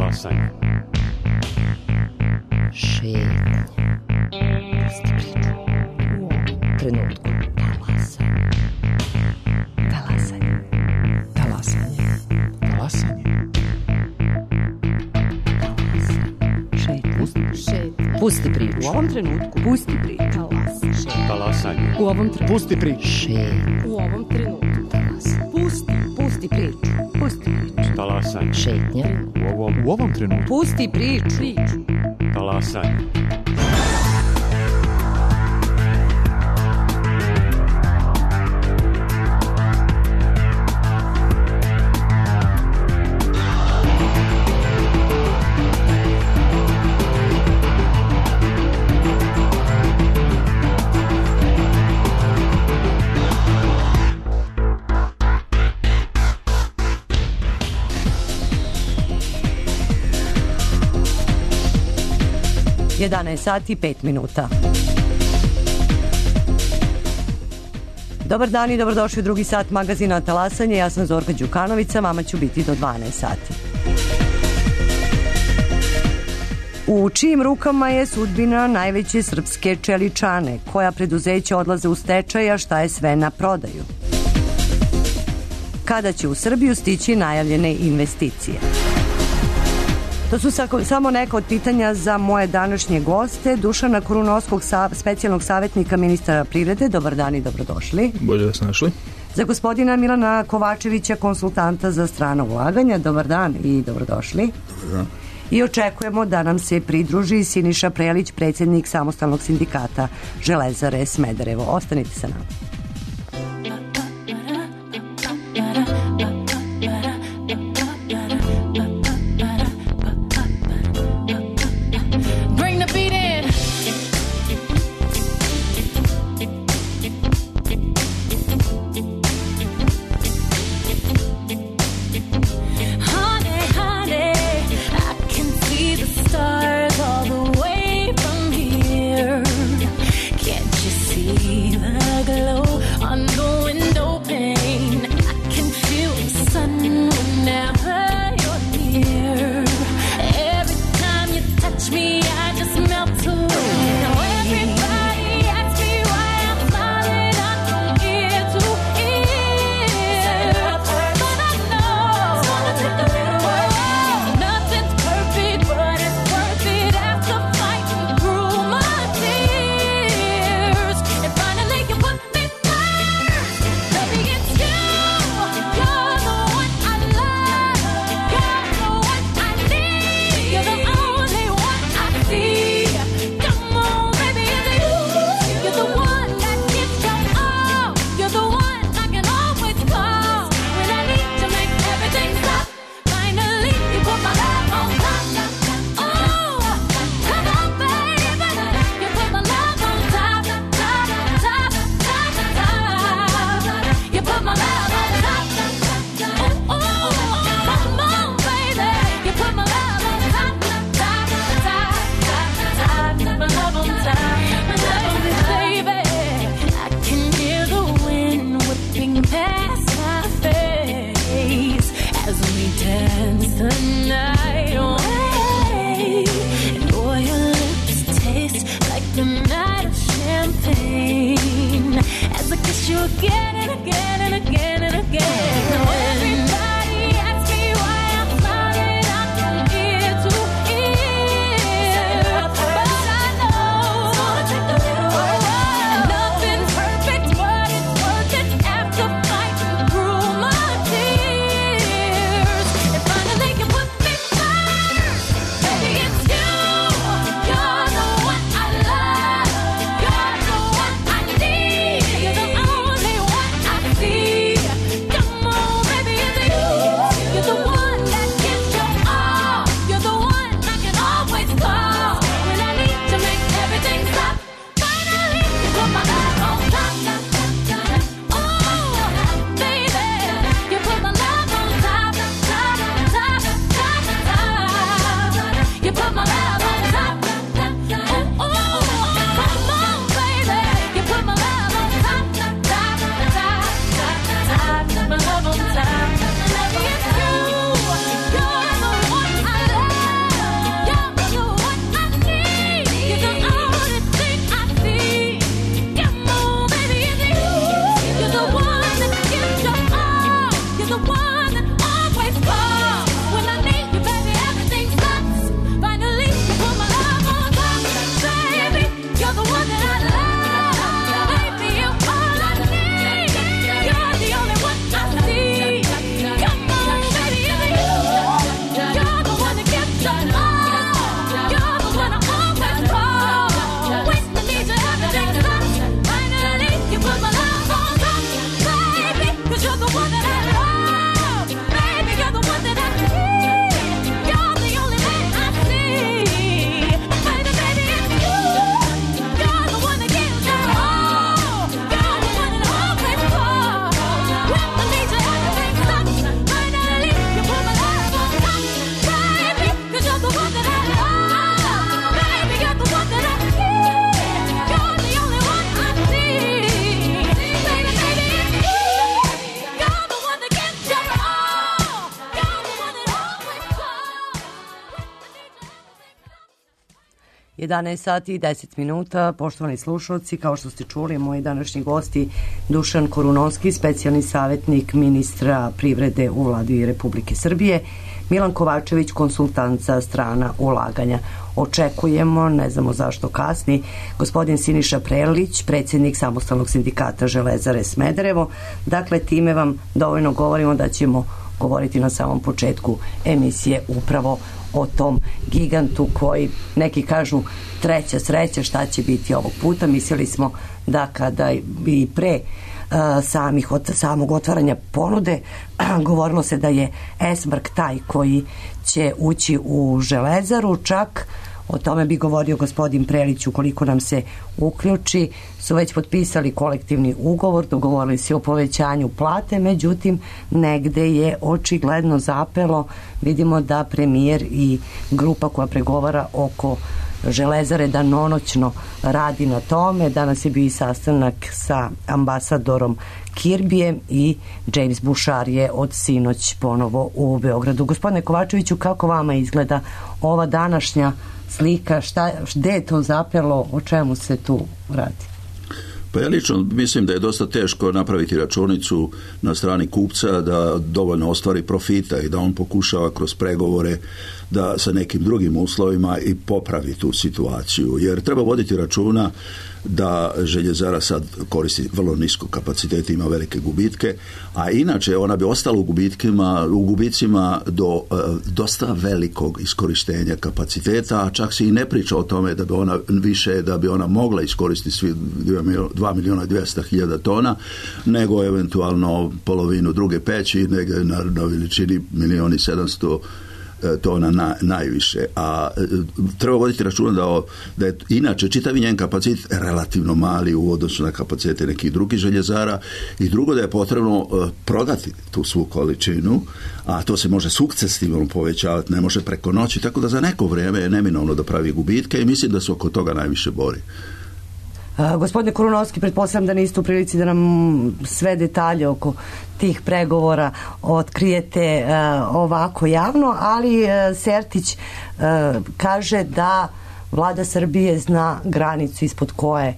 Talasanje. Šetnja. Pusti priču. U ovom trenutku. Talasanje. Talasanje. Talasanje. Šetnja. Pusti priču. U ovom trenutku. Pusti priču. Talasanje. U ovom trenutku. Pusti priču. Šetnja. U ovom trenutku. Pusti priču. Pusti priču. Talasanje. Šetnja. U ovom trenutku. Pusti priču. Talasanje. sati 5 minuta. Dobar dan i dobrodošli u drugi sat magazina Talasanje. Ja sam Zorka Đukanovića, vama ću biti do 12 sati. U čijim rukama je sudbina najveće srpske čeličane? Koja preduzeća odlaze u stečaj, a šta je sve na prodaju? Kada će u Srbiju stići najavljene investicije? To su samo neka od pitanja za moje današnje goste. Dušana Korunovskog, specijalnog savjetnika ministra privrede. Dobar dan i dobrodošli. Bolje da se našli. Za gospodina Milana Kovačevića, konsultanta za strana ulaganja. Dobar dan i dobrodošli. Dobar dan. I očekujemo da nam se pridruži Siniša Prelić, predsjednik samostalnog sindikata Železare Smederevo. Ostanite sa nama. Glow 11 sati i 10 minuta, poštovani slušalci, kao što ste čuli, moji današnji gosti Dušan Korunovski, specijalni savjetnik ministra privrede u vladi Republike Srbije, Milan Kovačević, konsultant za strana ulaganja. Očekujemo, ne znamo zašto kasni, gospodin Siniša Prelić, predsjednik Samostalnog sindikata Železare Smederevo. Dakle, time vam dovoljno govorimo da ćemo govoriti na samom početku emisije upravo o tom gigantu koji neki kažu treća sreća šta će biti ovog puta. Mislili smo da kada bi pre samog otvaranja ponude govorilo se da je Esmark taj koji će ući u Železaru, čak o tome bi govorio gospodin Prelić ukoliko nam se uključi, su već potpisali kolektivni ugovor, dogovorili se o povećanju plate, međutim negde je očigledno zapelo. Vidimo da premijer i grupa koja pregovara oko Železare danonoćno radi na tome. Danas je bio i sastanak sa ambasadorom Kirbijem i James Bouchard je od sinoć ponovo u Beogradu. Gospodine Kovačeviću, kako vama izgleda ova današnja slika, gde je to zapelo, o čemu se tu radi? Pa ja lično mislim da je dosta teško napraviti računicu na strani kupca da dovoljno ostvari profita i da on pokušava kroz pregovore da sa nekim drugim uslovima i popravi tu situaciju. Jer treba voditi računa da željezara sad koristi vrlo nisko kapacitet, ima velike gubitke, a inače ona bi ostala u gubicima do dosta velikog iskorištenja kapaciteta, a čak se i ne priča o tome da bi ona više, da bi ona mogla iskoristiti svi 2.200.000 tona, nego eventualno polovinu druge peći, negdje na veličini 1.700.000 tona najviše, a treba voditi računa da je inače čitavi njen kapacitet relativno mali u odnosu na kapacitete nekih drugih željezara, i drugo da je potrebno prodati tu svu količinu, a to se može sukcesivno povećavati, ne može preko noći, tako da za neko vrijeme je neminovno da pravi gubitke i mislim da se oko toga najviše bori. Gospodine Korunovski, pretpostavljam da niste u prilici da nam sve detalje oko tih pregovora otkrijete ovako javno, ali Sertić kaže da vlada Srbije zna granicu ispod koje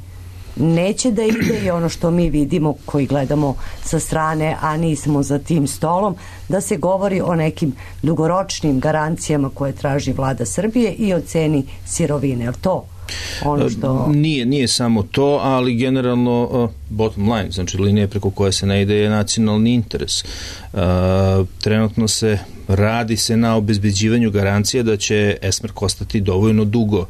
neće da ide, i ono što mi vidimo koji gledamo sa strane, a nismo za tim stolom, da se govori o nekim dugoročnim garancijama koje traži vlada Srbije i o ceni sirovine. Je li to ono što... Nije samo to, ali generalno bottom line, znači linija preko koje se ne ide, je nacionalni interes. Trenutno radi se na obezbeđivanju garancije da će Esmark ostati dovoljno dugo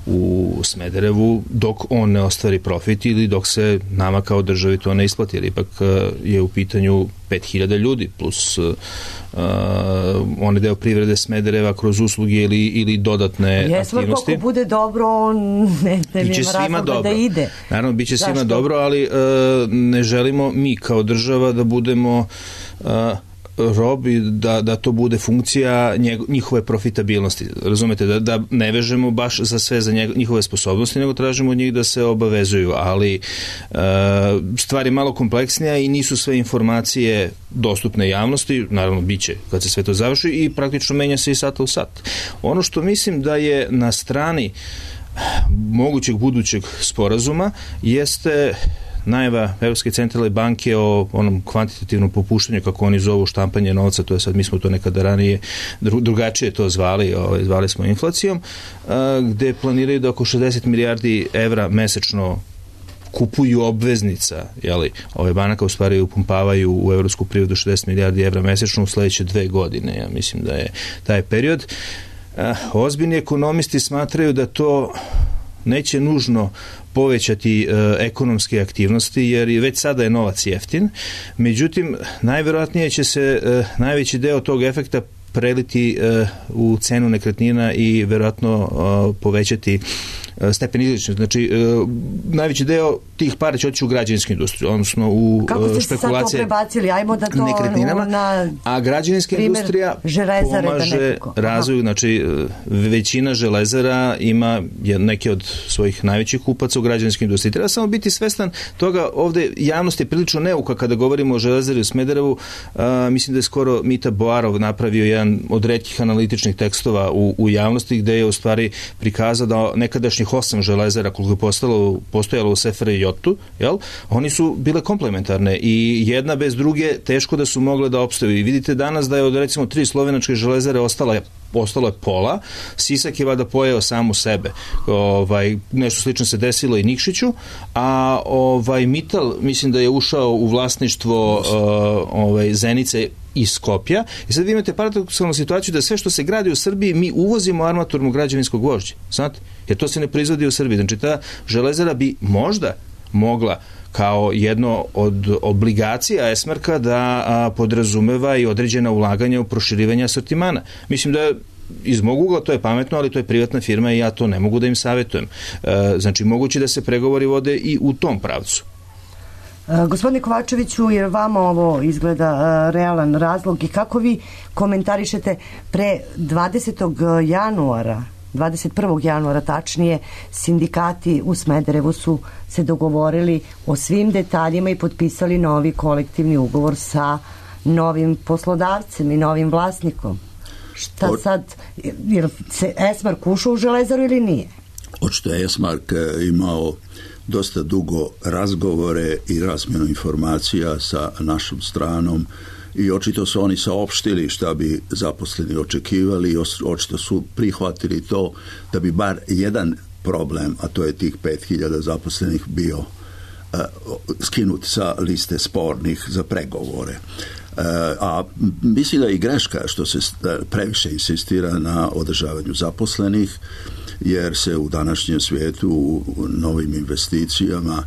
u Smederevu dok on ne ostvari profit ili dok se nama kao državi to ne isplati, jer ipak je u pitanju 5.000 ljudi plus onaj deo privrede Smedereva kroz usluge ili dodatne aktivnosti. Ako bude dobro, on ne ima razloga da ide. Naravno, bit će svima dobro, ali ne želimo mi kao država da budemo robi, da to bude funkcija njihove profitabilnosti. Razumete, da ne vežemo baš za sve za njihove sposobnosti, nego tražimo od njih da se obavezuju, ali stvar je malo kompleksnija i nisu sve informacije dostupne javnosti, naravno biće kad se sve to završi i praktično menja se i sata u sat. Ono što mislim da je na strani mogućeg budućeg sporazuma jeste najava Evropske centralne banke o onom kvantitativnom popuštanju, kako oni zovu štampanje novca, to je sad, mi smo to nekada ranije drugačije to zvali smo inflacijom, gde planiraju da oko 60 milijardi evra mesečno kupuju obveznica, ove banaka u stvari upumpavaju u evropsku privredu 60 milijardi evra mesečno u sledeće 2 godine, ja mislim da je taj period. Ozbiljni ekonomisti smatraju da to neće nužno povećati ekonomske aktivnosti, jer već sada je novac jeftin. Međutim, najverovatnije će se najveći deo tog efekta preliti u cenu nekretnina i verovatno povećati stepen izličnosti. Znači, najveći deo tih para će otići u građevinsku industriju, odnosno u špekulacije. Kako ste se sad to prebacili? Ajmo da to nekretninama, a građevinska industrija pomaže razvoju, znači većina železara ima neke od svojih najvećih kupaca u građevinskoj industriji. Treba samo biti svestan toga, ovde javnost je prilično neuka kada govorimo o železari u Smederevu. Mislim da je skoro Mita Boarov napravio jedan od retkih analitičnih tekstova u javnosti gde je u stvari prikazao da nekadašnjih 8 železara koliko je postojalo u SFRJ-u, oni su bile komplementarne i jedna bez druge teško da su mogle da opstaju. I vidite danas da je od recimo 3 slovenačke železare ostalo je pola, Sisak je vada pojeo samu sebe. Nešto slično se desilo i Nikšiću, a Mittal mislim da je ušao u vlasništvo Zenice i Skopja. I sad vi imate paradoksalnu situaciju da sve što se gradi u Srbiji mi uvozimo armaturnog građevinskog gvožđa. Znate? Jer to se ne proizvodi u Srbiji. Znači ta železara bi možda mogla kao jedno od obligacija Esmarka da podrazumeva i određena ulaganja u proširivanje asortimana. Mislim da iz mog ugla to je pametno, ali to je privatna firma i ja to ne mogu da im savjetujem. Znači moguće da se pregovori vode i u tom pravcu. Gospodine Kovačeviću, jer vama ovo izgleda realan razlog i kako vi komentarišete pre 21. januara tačnije, sindikati u Smederevu su se dogovorili o svim detaljima i potpisali novi kolektivni ugovor sa novim poslodavcem i novim vlasnikom. Šta sad, jer se Esmark ušao u železaru ili nije? Očito je Esmark imao dosta dugo razgovore i razmjenu informacija sa našom stranom i očito su oni saopštili šta bi zaposleni očekivali i očito su prihvatili to da bi bar jedan problem, a to je tih 5000 zaposlenih, bio skinut sa liste spornih za pregovore. A mislim da je i greška što se previše insistira na održavanju zaposlenih, jer se u današnjem svijetu u novim investicijama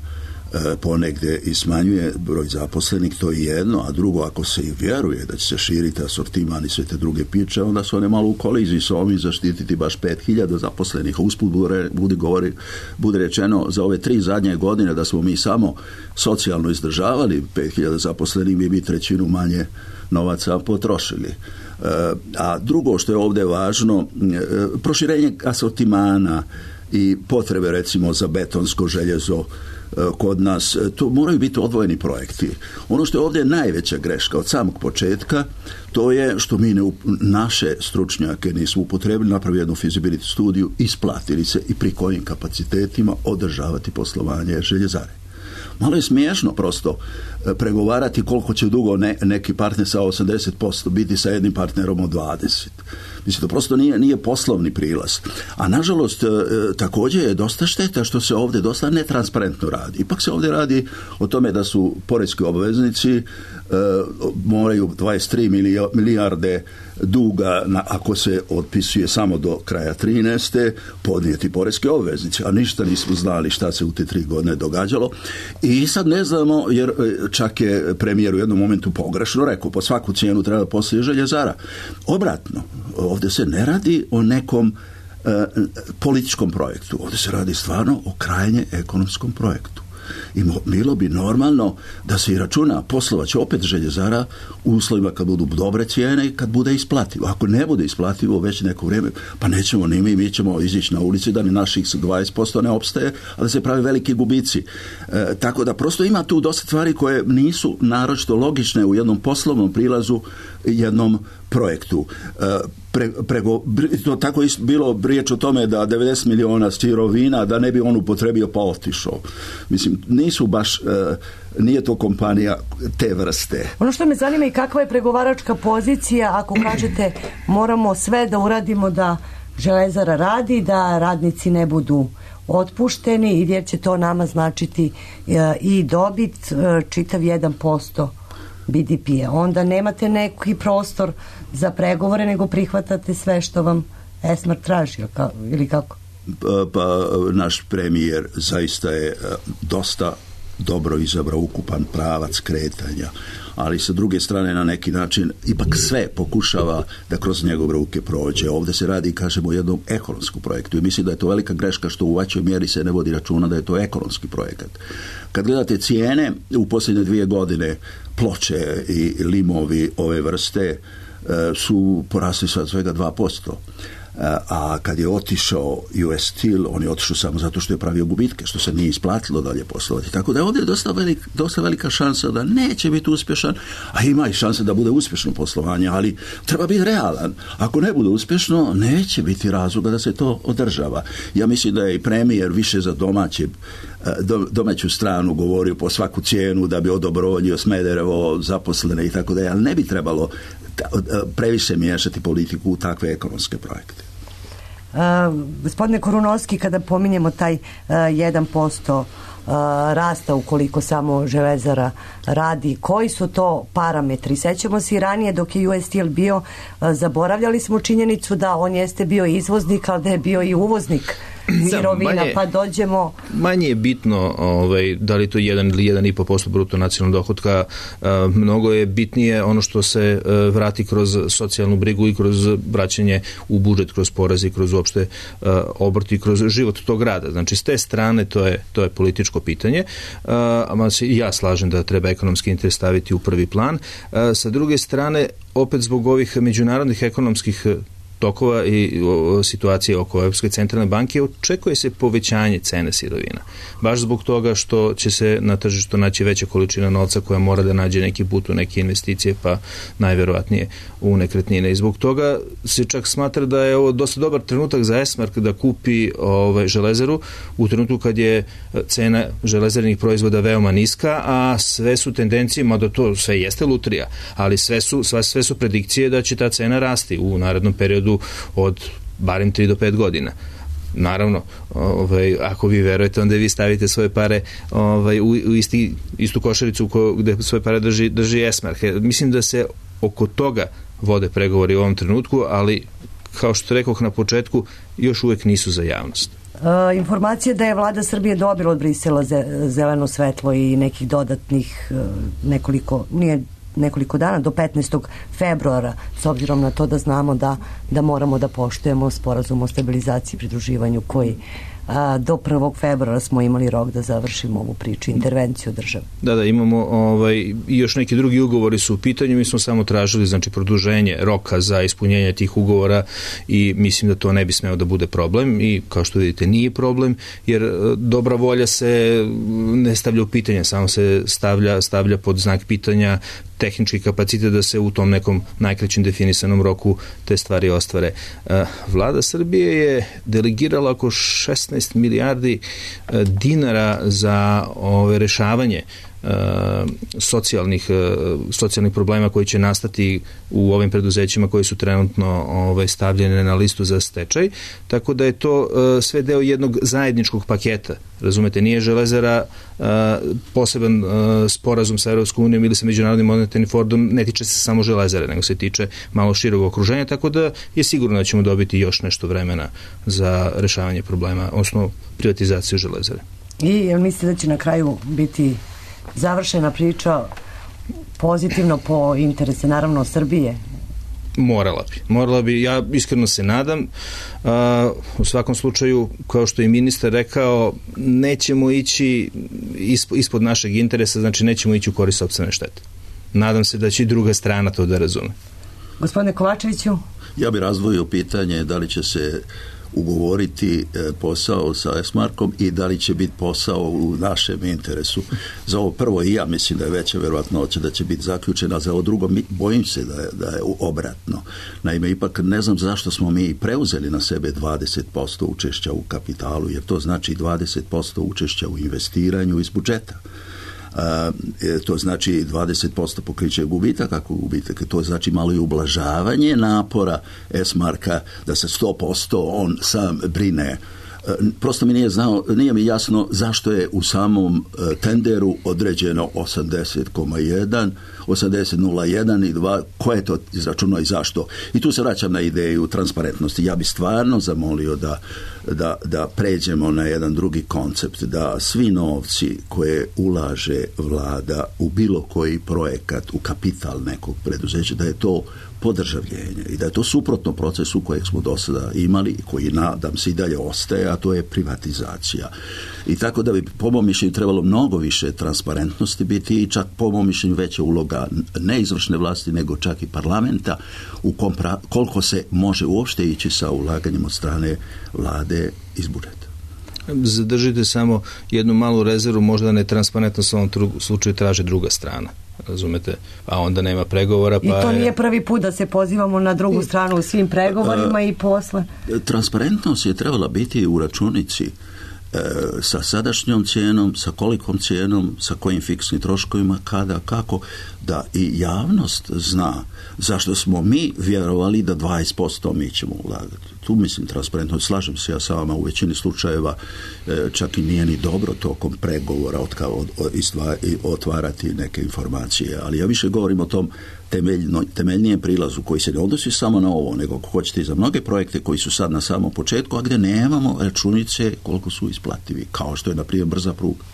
ponegde i smanjuje broj zaposlenih, to je jedno, a drugo, ako se i vjeruje da će se širiti asortiman i sve te druge piče, onda su one malo u koliziji s ovim zaštititi baš 5000 zaposlenih. Usput bude rečeno za ove 3 zadnje godine da smo mi samo socijalno izdržavali 5000 zaposlenih, mi bi 1/3 manje novaca potrošili. A drugo što je ovdje važno, proširenje asortimana i potrebe recimo za betonsko željezo kod nas, to moraju biti odvojeni projekti. Ono što je ovdje najveća greška od samog početka, to je što mi naše stručnjake nismo upotrebili, napravili jednu feasibility studiju, isplatili se i pri kojim kapacitetima održavati poslovanje željezare. Malo je smiješno prosto pregovarati koliko će dugo neki partner sa 80% biti sa jednim partnerom od 20%. Mislim, to prosto nije poslovni prilaz. A nažalost, također je dosta šteta što se ovdje dosta netransparentno radi. Ipak se ovdje radi o tome da su poreski obveznici moraju 23 milijarde duga, ako se otpisuje samo do kraja 13. podnijeti poreske obveznice, a ništa nismo znali šta se u te 3 godine događalo. I sad ne znamo, jer čak je premijer u jednom momentu pogrešno rekao, po svaku cijenu treba poslije željezara. Obratno, ovdje se ne radi o nekom političkom projektu, ovdje se radi stvarno o krajnje ekonomskom projektu. I bilo bi normalno da se i računa poslovat će opet željezara u uslovima kad budu dobre cijene i kad bude isplativo. Ako ne bude isplativo već neko vrijeme, pa nećemo ni mi ćemo izići na ulici da ni naših 20% ne opstaje, a da se pravi veliki gubici. Tako da prosto ima tu dosta stvari koje nisu naročito logične u jednom poslovnom prilazu jednom projektu. To tako je bilo riječ o tome da 90 miliona sirovina da ne bi on upotrebio pa otišao. Mislim, nisu baš, nije to kompanija te vrste. Ono što me zanima i kakva je pregovaračka pozicija ako kažete moramo sve da uradimo da železara radi, da radnici ne budu otpušteni i jer će to nama značiti i dobit čitav 1% BDP-a. Onda nemate neki prostor za pregovore, nego prihvatate sve što vam Esmark traži, ili kako? Pa naš premijer zaista je dosta dobro izabrao ukupan pravac kretanja, ali sa druge strane na neki način ipak sve pokušava da kroz njegove ruke prođe. Ovdje se radi, kažemo, o jednom ekonomskom projektu i mislim da je to velika greška što u većoj mjeri se ne vodi računa da je to ekonomski projekat. Kad gledate cijene, u posljednje 2 godine ploče i limovi ove vrste su porasli sa svega 2%. A kad je otišao US Steel, on je otišao samo zato što je pravio gubitke, što se nije isplatilo dalje poslovati. Tako da je ovdje dosta velika šansa da neće biti uspješan, a ima i šansa da bude uspješno poslovanje, ali treba biti realan. Ako ne bude uspješno, neće biti razloga da se to održava. Ja mislim da je i premijer više za domaću stranu govorio po svaku cijenu da bi odobrovoljio Smederevo, zaposlene i tako da, ali ne bi trebalo previše miješati politiku u takve ekonomske projekte. Gospodine Korunovski, kada pominjemo taj 1% rasta ukoliko samo Železara radi, koji su to parametri? Sećamo se i ranije dok je US Steel bio, zaboravljali smo činjenicu da on jeste bio izvoznik, ali da je bio i uvoznik sirovina, pa dođemo... Manje je bitno da li to 1 ili 1,5% bruto nacionalnog dohotka, mnogo je bitnije ono što se vrati kroz socijalnu brigu i kroz vraćanje u budžet, kroz poreze i kroz uopšte obrt i kroz život tog rada. Znači, s te strane to je političko pitanje, a se i ja slažem da treba ekonomski interes staviti u prvi plan. Sa druge strane, opet zbog ovih međunarodnih ekonomskih tokova i situacije oko Europske centralne banke očekuje se povećanje cene sirovina. Baš zbog toga što će se na tržištu naći veća količina novca koja mora da nađe neki put u neke investicije, pa najverovatnije u nekretnine. I zbog toga se čak smatra da je ovo dosta dobar trenutak za Esmark da kupi Železaru u trenutku kad je cena železarnih proizvoda veoma niska, a sve su tendencije, mada to sve jeste lutrija, ali sve su predikcije da će ta cena rasti u narednom periodu od barem 3 do 5 godina. Naravno, ako vi verujete, onda vi stavite svoje pare u istu košaricu gde svoje pare drži Esmark. Mislim da se oko toga vode pregovori u ovom trenutku, ali kao što rekoh na početku, još uvek nisu za javnost. Informacija da je vlada Srbije dobila od Brisela zeleno svetlo i nekih dodatnih nekoliko dana do 15. februara, s obzirom na to da znamo da moramo da poštujemo sporazum o stabilizaciji i pridruživanju koji do 1. februara smo imali rok da završimo ovu priču, intervenciju države. Da, imamo i još neki drugi ugovori su u pitanju, mi smo samo tražili produženje roka za ispunjenje tih ugovora i mislim da to ne bi smeo da bude problem i kao što vidite nije problem, jer dobra volja se ne stavlja u pitanje, samo se stavlja pod znak pitanja tehnički kapacitet da se u tom nekom najkraćem definisanom roku te stvari ostvare. Vlada Srbije je delegirala oko 16 milijardi dinara za rešavanje socijalnih problema koji će nastati u ovim preduzećima koji su trenutno stavljene na listu za stečaj, tako da je to sve deo jednog zajedničkog paketa. Razumete, nije Železara poseban sporazum sa Europskom unijom ili sa Međunarodnim monetarnim fondom, ne tiče se samo Železare, nego se tiče malo širog okruženja, tako da je sigurno da ćemo dobiti još nešto vremena za rešavanje problema, odnosno privatizaciju Železare. I jel mislite da će na kraju biti završena priča pozitivno po interese, naravno, Srbije? Morala bi, ja iskreno se nadam. U svakom slučaju, kao što je ministar rekao, nećemo ići ispod našeg interesa, znači nećemo ići u korist sopstvene štete. Nadam se da će i druga strana to da razume. Gospodine Kovačeviću? Ja bih razdvojio pitanje da li će se ugovoriti posao sa Esmarkom i da li će biti posao u našem interesu. Za ovo prvo i ja mislim da je veća verovatnoća da će biti zaključena, za ovo drugo bojim se da je obratno. Naime, ipak ne znam zašto smo mi preuzeli na sebe 20% učešća u kapitalu, jer to znači 20% učešća u investiranju iz budžeta. To znači 20% pokriće gubitak, ako gubitak, to znači malo i ublažavanje napora Esmarka da se 100% on sam brine Prosto mi nije mi jasno zašto je u samom tenderu određeno 80,1, 80,01 i 2, ko je to izračunao i zašto. I tu se vraćam na ideju transparentnosti. Ja bih stvarno zamolio da pređemo na jedan drugi koncept, da svi novci koje ulaže vlada u bilo koji projekat, u kapital nekog preduzeća, da je to podržavljenje i da je to suprotno procesu kojeg smo do sada imali i koji nadam se i dalje ostaje, a to je privatizacija. I tako da bi po mom mišljenju trebalo mnogo više transparentnosti biti i čak po mom mišljenju veća uloga ne izvršne vlasti nego čak i parlamenta u koliko se može uopšte ići sa ulaganjem od strane vlade iz budžeta. Zadržite samo jednu malu rezervu, možda netransparentnost u ovom slučaju traži druga strana. Razumete? A onda nema pregovora. Pa i to nije prvi put da se pozivamo na drugu stranu u svim pregovorima i posle. Transparentnost je trebala biti u računici sa sadašnjom cijenom, sa kolikom cijenom, sa kojim fiksnim troškovima, kada, kako, da i javnost zna zašto smo mi vjerovali da 20% mi ćemo ulagati. Tu mislim transparentno, slažem se ja sa vama, u većini slučajeva čak i nije ni dobro tokom pregovora otvarati neke informacije, ali ja više govorim o tom temeljnijem prilazu koji se ne odnosi samo na ovo, nego ako hoćete i za mnoge projekte koji su sad na samom početku, a gdje nemamo računice koliko su isplativi, kao što je na primjer brza pruga.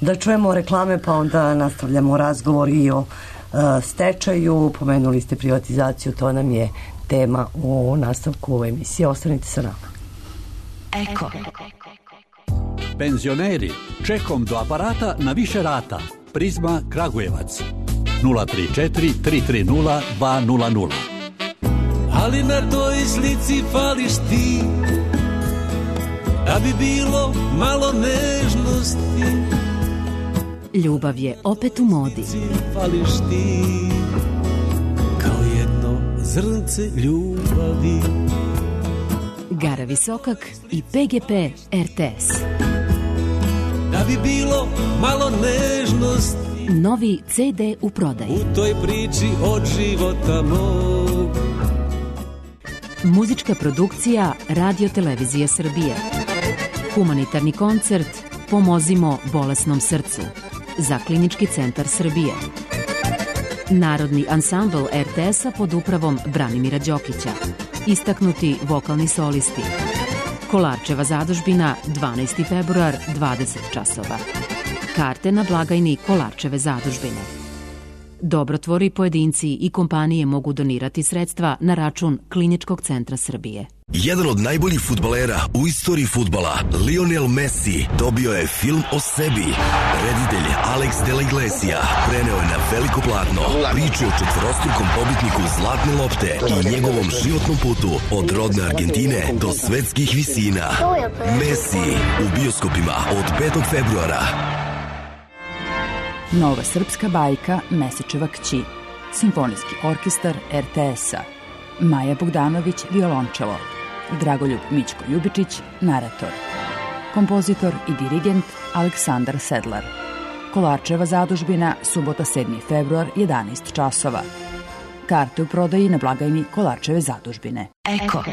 Da čujemo reklame, pa onda nastavljamo razgovor i o stečaju. Pomenuli ste privatizaciju, to nam je tema u nastavku ove emisije. Ostanite sa nama. Eko. Penzioneri, čekom do aparata na više rata. Prizma Kragujevac 034 330 200. Ali na toj slici fališ ti, da bi bilo malo nežnosti. Ljubav je opet u modi. Fališ ti, kao jedno zrnce ljubavi. Gara Visokak i PGP RTS. Da bi bilo malo nežnosti. Novi CD u prodaji. U toj priči od života mog. Muzička produkcija Radio Televizije Srbije. Humanitarni koncert Pomozimo bolesnom srcu za Klinički centar Srbije. Narodni ansambl RTS-a pod upravom Branimira Đokića. Istaknuti vokalni solisti. Kolarčeva zadužbina 12. februar 20 časova. Karte na blagajni Kolarčeve zadužbine. Dobrotvori, pojedinci i kompanije mogu donirati sredstva na račun Kliničkog centra Srbije. Jedan od najboljih fudbalera u istoriji fudbala, Lionel Messi, dobio je film o sebi. Reditelj Alex de la Iglesia preneo je na veliko platno priče o četvorostrukom pobitniku Zlatne lopte i njegovom životnom putu od rodne Argentine do svetskih visina. Messi u bioskopima od 5. februara. Nova srpska bajka Mesečeva kći. Simfonijski orkestar RTS-a. Maja Bogdanović, violončelo. Dragoljub Mićko Ljubičić, narator. Kompozitor i dirigent Aleksandar Sedlar. Kolarčeva zadužbina, subota 7. februar, 11 časova. Karte u prodaji na blagajni Kolarčeve zadužbine. Eko.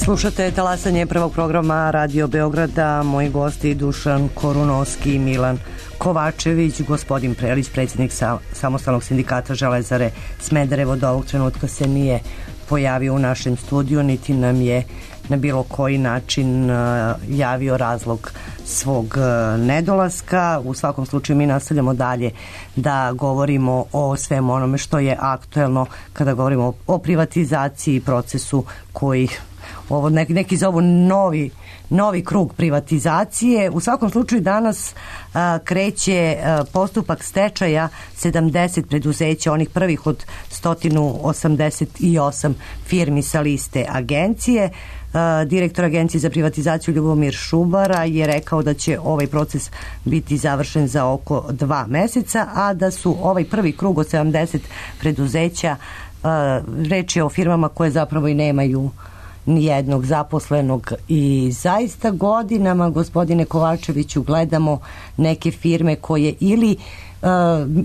Slušate talasanje prvog programa Radio Beograda. Moji gosti Dušan Korunovski, Milan Kovačević, gospodin Prelić, predsjednik Samostalnog sindikata Železare Smederevo, do ovog trenutka se nije pojavio u našem studiju, niti nam je na bilo koji način javio razlog svog nedolaska. U svakom slučaju mi nastavljamo dalje da govorimo o svemu onome što je aktuelno kada govorimo o privatizaciji i procesu koji ovo neki zovu novi krug privatizacije. U svakom slučaju danas kreće postupak stečaja 70 preduzeća, onih prvih od 188 firmi sa liste agencije. Direktor Agencije za privatizaciju Ljubomir Šubara je rekao da će ovaj proces biti završen za oko 2 meseca, a da su ovaj prvi krug od 70 preduzeća, reč je o firmama koje zapravo i nijednog zaposlenog i zaista godinama, gospodine Kovačeviću, gledamo neke firme koje ili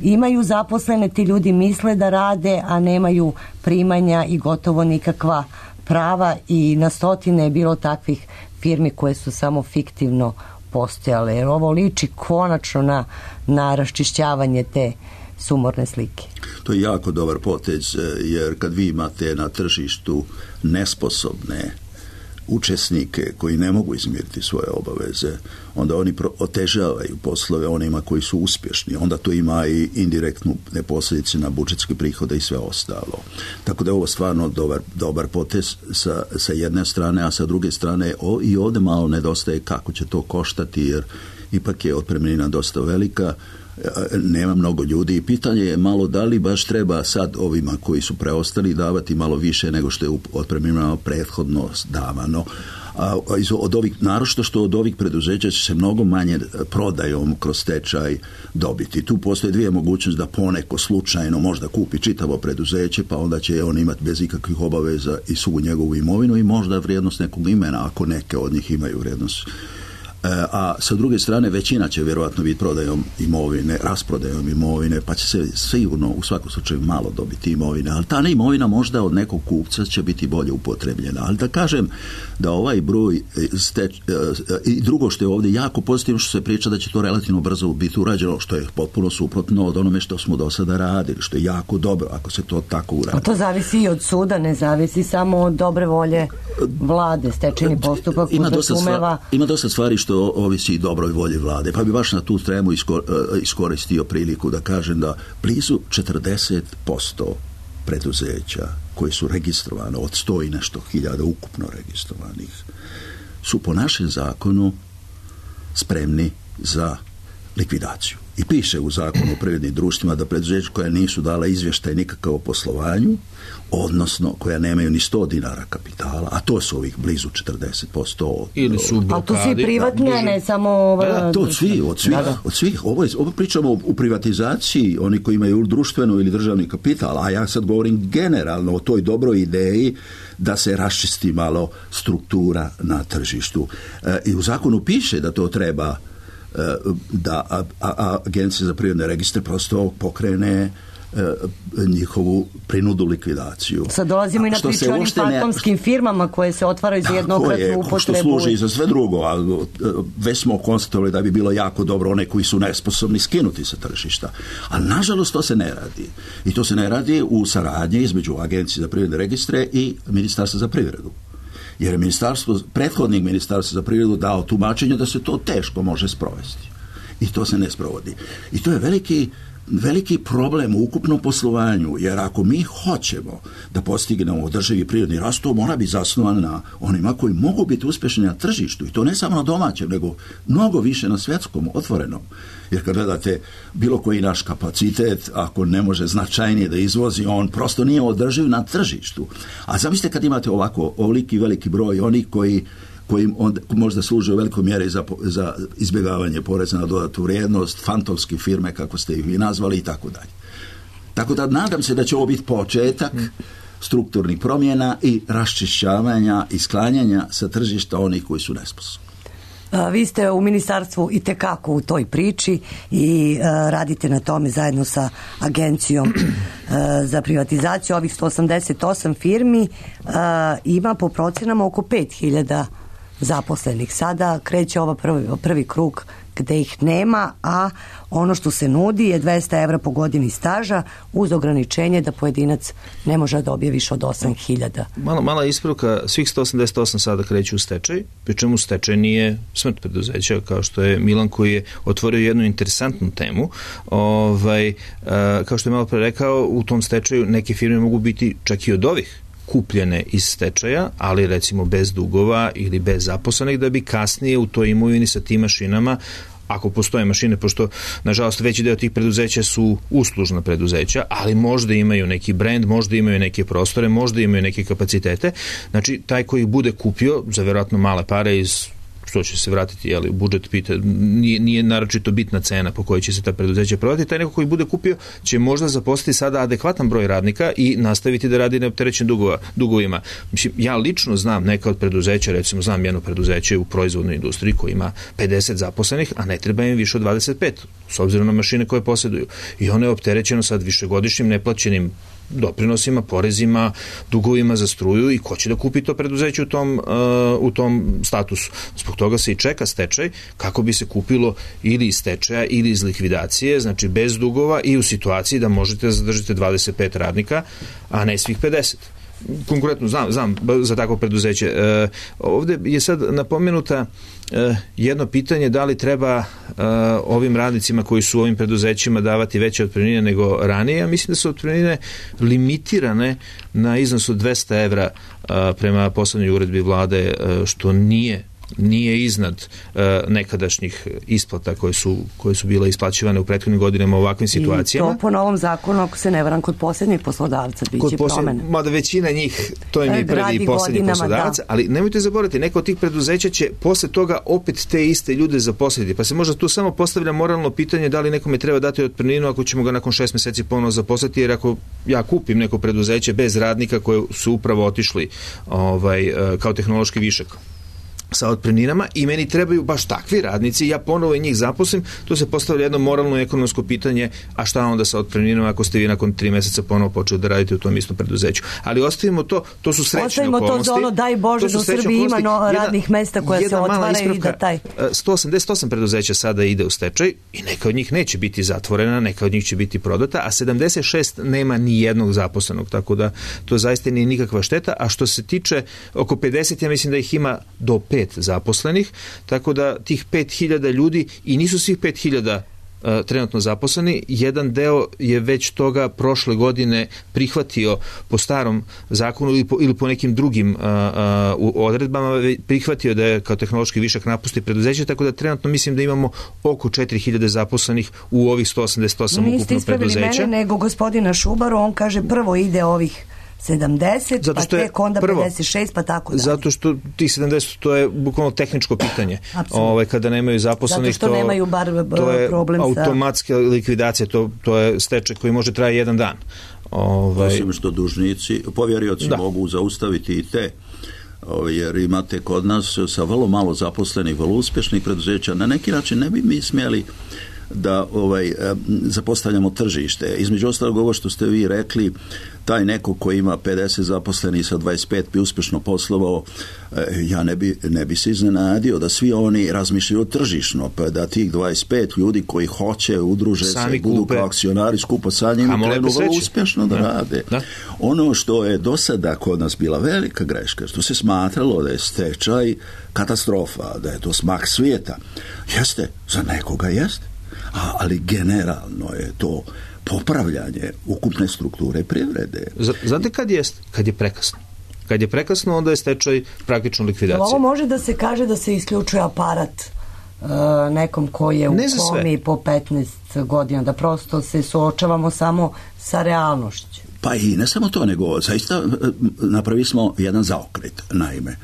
imaju zaposlene, ti ljudi misle da rade, a nemaju primanja i gotovo nikakva prava, i na stotine je bilo takvih firmi koje su samo fiktivno postojale, jer ovo liči konačno na raščišćavanje te sumorne slike. To je jako dobar potez, jer kad vi imate na tržištu nesposobne učesnike koji ne mogu izmiriti svoje obaveze, onda oni otežavaju poslove onima koji su uspješni. Onda to ima i indirektnu posljedice na budžetske prihode i sve ostalo. Tako da je ovo stvarno dobar potez sa jedne strane, a sa druge strane i ovdje malo nedostaje kako će to koštati, jer ipak je otpremnina dosta velika, nema mnogo ljudi i pitanje je malo da li baš treba sad ovima koji su preostali davati malo više nego što je otpremnina prethodno davano. Od ovih, naročito što od ovih preduzeća će se mnogo manje prodajom kroz stečaj dobiti. Tu postoje dvije mogućnosti, da poneko slučajno možda kupi čitavo preduzeće, pa onda će on imati bez ikakvih obaveza i svu njegovu imovinu i možda vrijednost nekog imena, ako neke od njih imaju vrijednost. A sa druge strane većina će vjerojatno biti prodajom imovine, rasprodajom imovine, pa će se sigurno u svakom slučaju malo dobiti imovine, ali ta imovina možda od nekog kupca će biti bolje upotrebljena. Ali da kažem da ovaj broj i drugo što je ovdje jako pozitivno, što se priča da će to relativno brzo biti urađeno, što je potpuno suprotno od onome što smo do sada radili, što je jako dobro ako se to tako uradi. A to zavisi i od suda, ne zavisi samo od dobre volje vlade, stečajni postupak podrazumeva. Ima dosta stvari što ovisi i dobroj volji vlade, pa bi baš na tu temu iskoristio priliku da kažem da blizu 40% preduzeća koji su registrovane od 100 i nešto hiljada ukupno registrovanih su po našem zakonu spremni za likvidaciju. I piše u zakonu o privrednim društvima da preduzeća koja nisu dala izvještaj nikakav o poslovanju, odnosno koja nemaju ni 100 dinara kapitala, a to su ovih blizu 40%. Ili su blokadi. A to svi privatne, ne samo... To od svih. Ovo pričamo u privatizaciji, oni koji imaju društveno ili državni kapital, a ja sad govorim generalno o toj dobroj ideji da se raščisti malo struktura na tržištu. I u zakonu piše da to treba da Agencija za privredne registre prosto pokrene njihovu prinudu likvidaciju. Sad dolazimo i na priču onim fantomskim firmama koje se otvaraju za jednokratnu upotrebu. Što služi i za sve drugo, ali već smo konstatovali da bi bilo jako dobro one koji su nesposobni skinuti sa tržišta. A nažalost to se ne radi. I to se ne radi u saradnji između Agencije za privredne registre i Ministarstva za privredu. Jer je prethodnik Ministarstva za privredu dao tumačenje da se to teško može sprovesti. I to se ne sprovodi. I to je veliki problem u ukupnom poslovanju, jer ako mi hoćemo da postignemo održivi prirodni rast, to mora biti zasnovan na onima koji mogu biti uspješni na tržištu, i to ne samo na domaćem, nego mnogo više na svjetskom, otvorenom. Jer kad gledate bilo koji naš kapacitet, ako ne može značajnije da izvozi, on prosto nije održiv na tržištu. A zamislite kad imate ovoliki veliki broj onih koji možda služe u velikoj mjeri za izbjegavanje poreza na dodatnu vrijednost, fantomske firme, kako ste ih vi nazvali, i tako dalje. Tako da nadam se da će ovo biti početak strukturnih promjena i raščišćavanja i sklanjanja sa tržišta onih koji su nesposobni. Vi ste u ministarstvu i tekako u toj priči i radite na tome zajedno sa Agencijom za privatizaciju. Ovih 188 firmi ima po procenama oko 5000 zaposlenih. Sada kreće prvi krug gde ih nema, a ono što se nudi je 200 evra po godini staža uz ograničenje da pojedinac ne može da dobije više od 8000. Mala ispravka, svih 188 sada kreću u stečaj, pri čemu stečaj nije smrt preduzeća, kao što je Milan koji je otvorio jednu interesantnu temu. Kao što je malo pre rekao, u tom stečaju neke firme mogu biti čak i od ovih kupljene iz stečaja, ali recimo bez dugova ili bez zaposlenih, da bi kasnije u toj imovini sa tim mašinama, ako postoje mašine, pošto nažalost veći deo tih preduzeća su uslužna preduzeća, ali možda imaju neki brend, možda imaju neke prostore, možda imaju neke kapacitete, znači taj koji bude kupio za vjerojatno male pare iz što će se vratiti, u budžet nije naročito bitna cena po kojoj će se ta preduzeća prodati, taj neko koji bude kupio će možda zaposliti sada adekvatan broj radnika i nastaviti da radi neopterećen dugovima. Mislim, ja lično znam neka od preduzeća, recimo znam jedno preduzeće u proizvodnoj industriji koji ima 50 zaposlenih, a ne treba im više od 25, s obzirom na mašine koje posjeduju. I ono je opterećeno sad višegodišnjim neplaćenim doprinosima, porezima, dugovima za struju i ko će da kupi to preduzeće u tom statusu. Zbog toga se i čeka stečaj kako bi se kupilo ili iz stečaja ili iz likvidacije, znači bez dugova i u situaciji da možete da zadržite 25 radnika, a ne svih 50. Konkretno znam za takvo preduzeće. Ovde je sad napomenuta jedno pitanje da li treba ovim radnicima koji su u ovim preduzećima davati veće otpremnine nego ranije. Ja mislim da su otpremnine limitirane na iznos od 200 evra prema poslednjoj uredbi vlade, što nije iznad nekadašnjih isplata koje su bile isplaćivane u prethodnim godinama u ovakvim situacijama. I to po novom zakonu, ako se ne varam, kod posljednjih poslodavca biće promene. Mada većina njih, to im je prvi i posljednji poslodavac, ali nemojte zaboraviti, neko od tih preduzeća će posle toga opet te iste ljude zaposliti, pa se možda tu samo postavlja moralno pitanje da li nekome treba dati otpremninu ako ćemo ga nakon 6 meseci ponovno zaposliti, jer ako ja kupim neko preduzeće bez radnika koje su upravo otišli kao tehnološki višak sa otpremninama i meni trebaju baš takvi radnici, ja ponovo i njih zaposlim, tu se postavlja jedno moralno ekonomsko pitanje, a šta onda sa otpremninama ako ste vi nakon 3 meseca ponovo počeli da radite u tom istom preduzeću. Ali ostavimo to su srećne okolnosti. Ostavimo to za ono, daj Bože, da u Srbiji ima radnih mesta koja se otvaraju i da taj... 188 preduzeća sada ide u stečaj i neka od njih neće biti zatvorena, neka od njih će biti prodata, a 76 nema ni jednog zaposlenog, tako da to zaista nije nikakva šteta, a što se tiče oko 50, ja mislim da ih ima do 5 zaposlenih, tako da tih 5000 ljudi i nisu svih 5000 trenutno zaposleni, jedan deo je već toga prošle godine prihvatio po starom zakonu ili po nekim drugim odredbama, prihvatio da je kao tehnološki višak napusti preduzeće, tako da trenutno mislim da imamo oko 4000 zaposlenih u ovih 188 ukupno preduzeća. Niste ispravili mene, nego gospodina Šubaru, on kaže prvo ide ovih 70, pa tek onda 56, pa tako dalje. Zato što tih 70, to je bukvalno tehničko pitanje. Kada nemaju zaposlenih, zato što nemaju to je problem automatska likvidacija, to je stečaj koji može traje jedan dan. Osim što dužnici, povjerioci mogu zaustaviti i te, jer imate kod nas sa vrlo malo zaposlenih, vrlo uspješnih preduzeća, na neki način ne bi mi smjeli da zapostavljamo tržište. Između ostalog, ovo što ste vi rekli, taj neko koji ima 50 zaposlenih sa 25 bi uspješno poslovao, ja ne bi se iznenadio da svi oni razmišljaju tržišno, pa da tih 25 ljudi koji hoće udruže se i budu kao akcionari skupa sa njim i krenu vrlo uspješno da rade. Da. Ono što je do sada kod nas bila velika greška, što se smatralo da je stečaj katastrofa, da je to smak svijeta. Jeste, za nekoga jeste. Ali generalno je to popravljanje ukupne strukture privrede. Znate kad jest? Kad je prekasno. Kad je prekasno, onda je stečaj praktično likvidacija. Ovo može da se kaže da se isključuje aparat nekom koji je u komi po 15 godina, da prosto se suočavamo samo sa realnošću. Pa i ne samo to, nego zaista napravili smo jedan zaokret. Naime,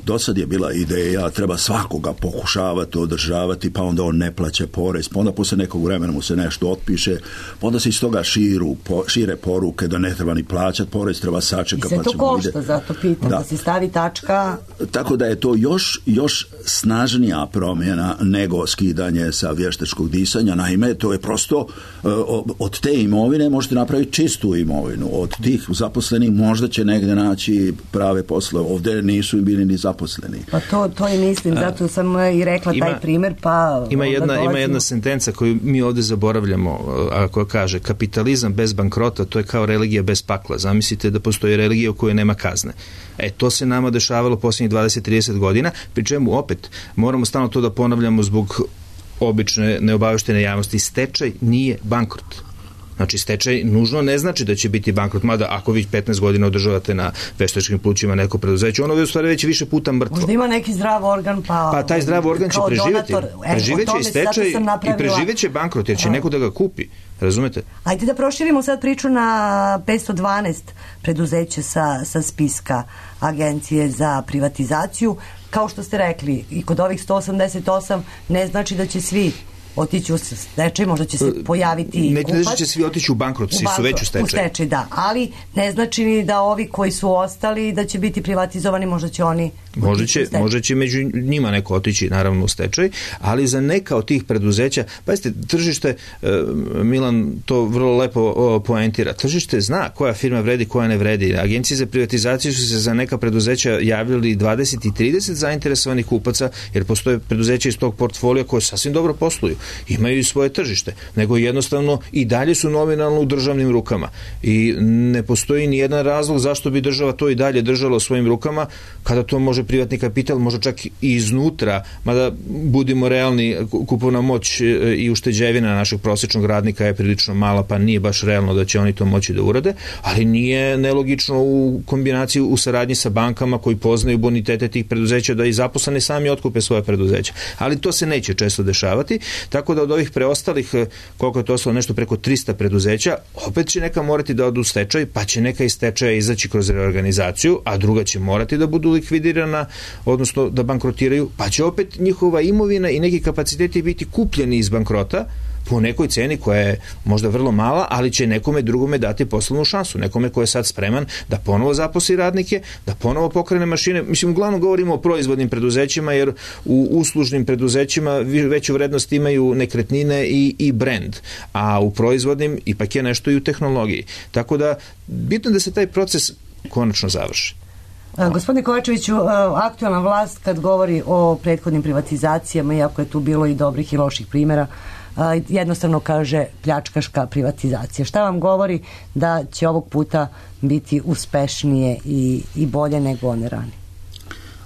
dosad je bila ideja treba svakoga pokušavati održavati, pa onda on ne plaća porez, pa onda posle nekog vremena mu se nešto otpiše, pa onda se iz toga šire poruke da ne treba ni plaćati porez, treba sačekati. I sve to košta, zato pitam, da se stavi tačka. Tako da je to još snažnija promjena nego skidanje sa vještačkog disanja. Naime, to je prosto od te imovine možete napraviti čistu imovinu. Od tih zaposlenih možda će negdje naći prave poslove. Ovdje nisu im bili ni zaposleni. Pa to i mislim, zato sam i rekla taj primjer, pa... Ima jedna sentenca koju mi ovdje zaboravljamo, a koja kaže kapitalizam bez bankrota, to je kao religija bez pakla. Zamislite da postoji religija u kojoj nema kazne. To se nama dešavalo posljednjih 20-30 godina, pri čemu opet moramo stalno to da ponavljamo zbog obične neobaveštene javnosti. Stečaj nije bankrot. Znači, stečaj nužno ne znači da će biti bankrot, mada ako vi 15 godina održavate na veštačkim plućima neko preduzeće, ono je u stvari već više puta mrtvo. Možda ima neki zdrav organ, pa taj zdrav organ će preživjeti. Preživjet će i stečaj i preživjet će bankrot, jer će neko da ga kupi. Razumete? Ajde da proširimo sad priču na 512 preduzeća sa spiska Agencije za privatizaciju. Kao što ste rekli, i kod ovih 188 ne znači da će svi otići u stečaj, možda će se pojaviti kupac. Ne znači da će svi otići u bankrot, svi su već u stečaju. U stečaj, da, ali ne znači ni da ovi koji su ostali da će biti privatizovani, možda će oni Možda će među njima neko otići naravno u stečaj, ali za neka od tih preduzeća, pazite, tržište, Milan to vrlo lepo poentira, tržište zna koja firma vredi, koja ne vredi. Agencije za privatizaciju su se za neka preduzeća javljali 20 i 30 zainteresovanih kupaca, jer postoje preduzeća iz tog portfolija koje sasvim dobro posluju, imaju i svoje tržište, nego jednostavno i dalje su nominalno u državnim rukama i ne postoji ni jedan razlog zašto bi država to i dalje držala u svojim rukama, kada to može privatni kapital, može čak i iznutra, mada budimo realni, kupovna moć i ušteđevina našeg prosječnog radnika je prilično mala, pa nije baš realno da će oni to moći da urade, ali nije nelogično u kombinaciji u saradnji sa bankama koji poznaju bonitete tih preduzeća da i zaposleni sami otkupe svoje preduzeća. Ali to se neće često dešavati, tako da od ovih preostalih, koliko je to ostalo, nešto preko 300 preduzeća, opet će neka morati da odu u stečaj, pa će neka iz stečaja izaći kroz reorganizaciju, a druga će morati da budu likvidirana, odnosno da bankrotiraju, pa će opet njihova imovina i neki kapaciteti biti kupljeni iz bankrota po nekoj ceni koja je možda vrlo mala, ali će nekome drugome dati poslovnu šansu, nekome ko je sad spreman da ponovo zaposli radnike, da ponovo pokrene mašine. Mislim, uglavnom govorimo o proizvodnim preduzećima, jer u uslužnim preduzećima veću vrednost imaju nekretnine i brand, a u proizvodnim ipak je nešto i u tehnologiji. Tako da, bitno da se taj proces konačno završi. Gospodine Kovačeviću, aktualna vlast kad govori o prethodnim privatizacijama, iako je tu bilo i dobrih i loših primjera, jednostavno kaže pljačkaška privatizacija. Šta vam govori da će ovog puta biti uspešnije i bolje nego one rani?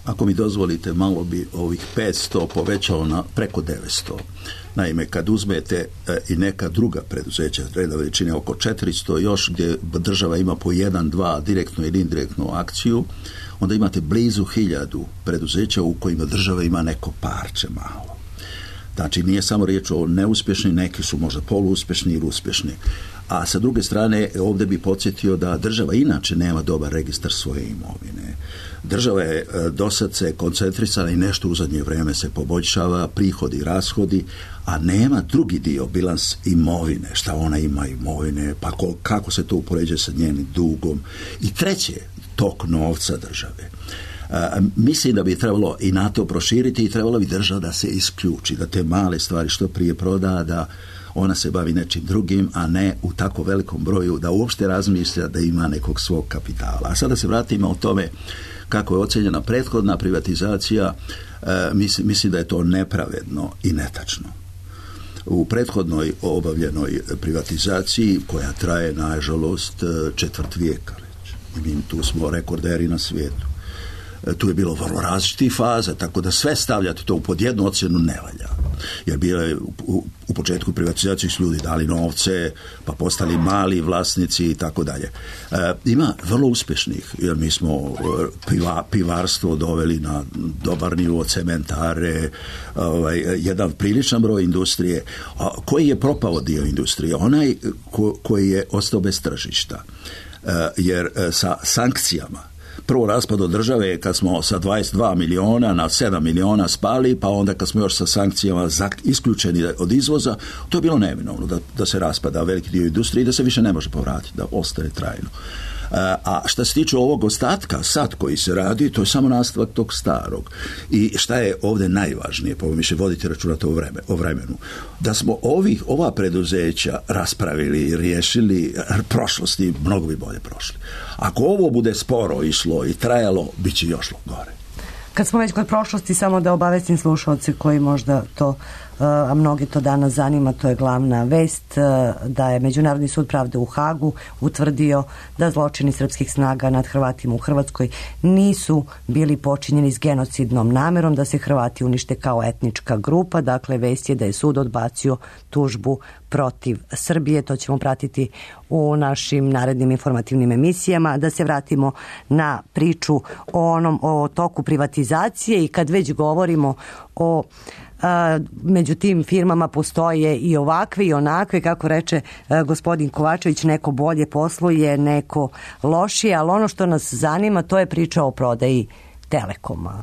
Ako mi dozvolite, malo bi ovih 500 povećao na preko 900. Naime, kad uzmete i neka druga preduzeća, reda veličine oko 400 još, gdje država ima po 1-2 direktnu ili indirektnu akciju, onda imate blizu 1000 preduzeća u kojima država ima neko parče malo. Znači, nije samo riječ o neuspješni, neki su možda poluuspješni ili uspješni. A sa druge strane, ovdje bi podsjetio da država inače nema dobar registar svoje imovine. Država je dosad se koncentrisala i nešto u zadnje vrijeme se poboljšava, prihodi i rashodi, a nema drugi dio, bilans imovine, šta ona ima imovine, pa kako se to upoređuje sa njenim dugom. I treće, tok novca države. Mislim da bi trebalo i na to proširiti i trebalo bi država da se isključi, da te male stvari što prije proda, da ona se bavi nečim drugim, a ne u tako velikom broju da uopšte razmišlja da ima nekog svog kapitala. A sada se vratimo o tome kako je ocenjena prethodna privatizacija. Mislim da je to nepravedno i netačno. U prethodnoj obavljenoj privatizaciji, koja traje nažalost četvrt vijeka već, i mi tu smo rekorderi na svijetu, tu je bilo vrlo različitih faza, tako da sve stavljati to pod jednu ocjenu ne valja. Jer bile u početku privatizacije su ljudi dali novce, pa postali mali vlasnici i tako dalje. Ima vrlo uspješnih, jer mi smo pivarstvo doveli na dobar nivo, cementare, jedan priličan broj industrije. Koji je propao dio industrije? Onaj koji je ostao bez tržišta. Jer sa sankcijama, prvo raspad od države kad smo sa 22 miliona na 7 miliona spali, pa onda kad smo još sa sankcijama isključeni od izvoza, to je bilo neminovno da se raspada veliki dio industrije i da se više ne može povratiti, da ostane trajno. A šta se tiče ovog ostatka sad koji se radi, to je samo nastavak tog starog. I šta je ovdje najvažnije, po više voditi računa o vremenu, da smo ova preduzeća raspravili i riješili prošlosti, mnogo bi bolje prošli. Ako ovo bude sporo išlo i trajalo, bit će još gore. Kad smo već kod prošlosti, samo da obavestim slušalce koji možda to, a mnogi to danas zanima, to je glavna vest, da je Međunarodni sud pravde u Hagu utvrdio da zločini srpskih snaga nad Hrvatima u Hrvatskoj nisu bili počinjeni s genocidnom namerom da se Hrvati unište kao etnička grupa. Dakle, vest je da je sud odbacio tužbu protiv Srbije. To ćemo pratiti u našim narednim informativnim emisijama. Da se vratimo na priču o toku privatizacije i kad već govorimo o među tim firmama postoje i ovakve i onakve, kako reče gospodin Kovačević, neko bolje posluje, neko lošije, ali ono što nas zanima to je priča o prodaji Telekoma.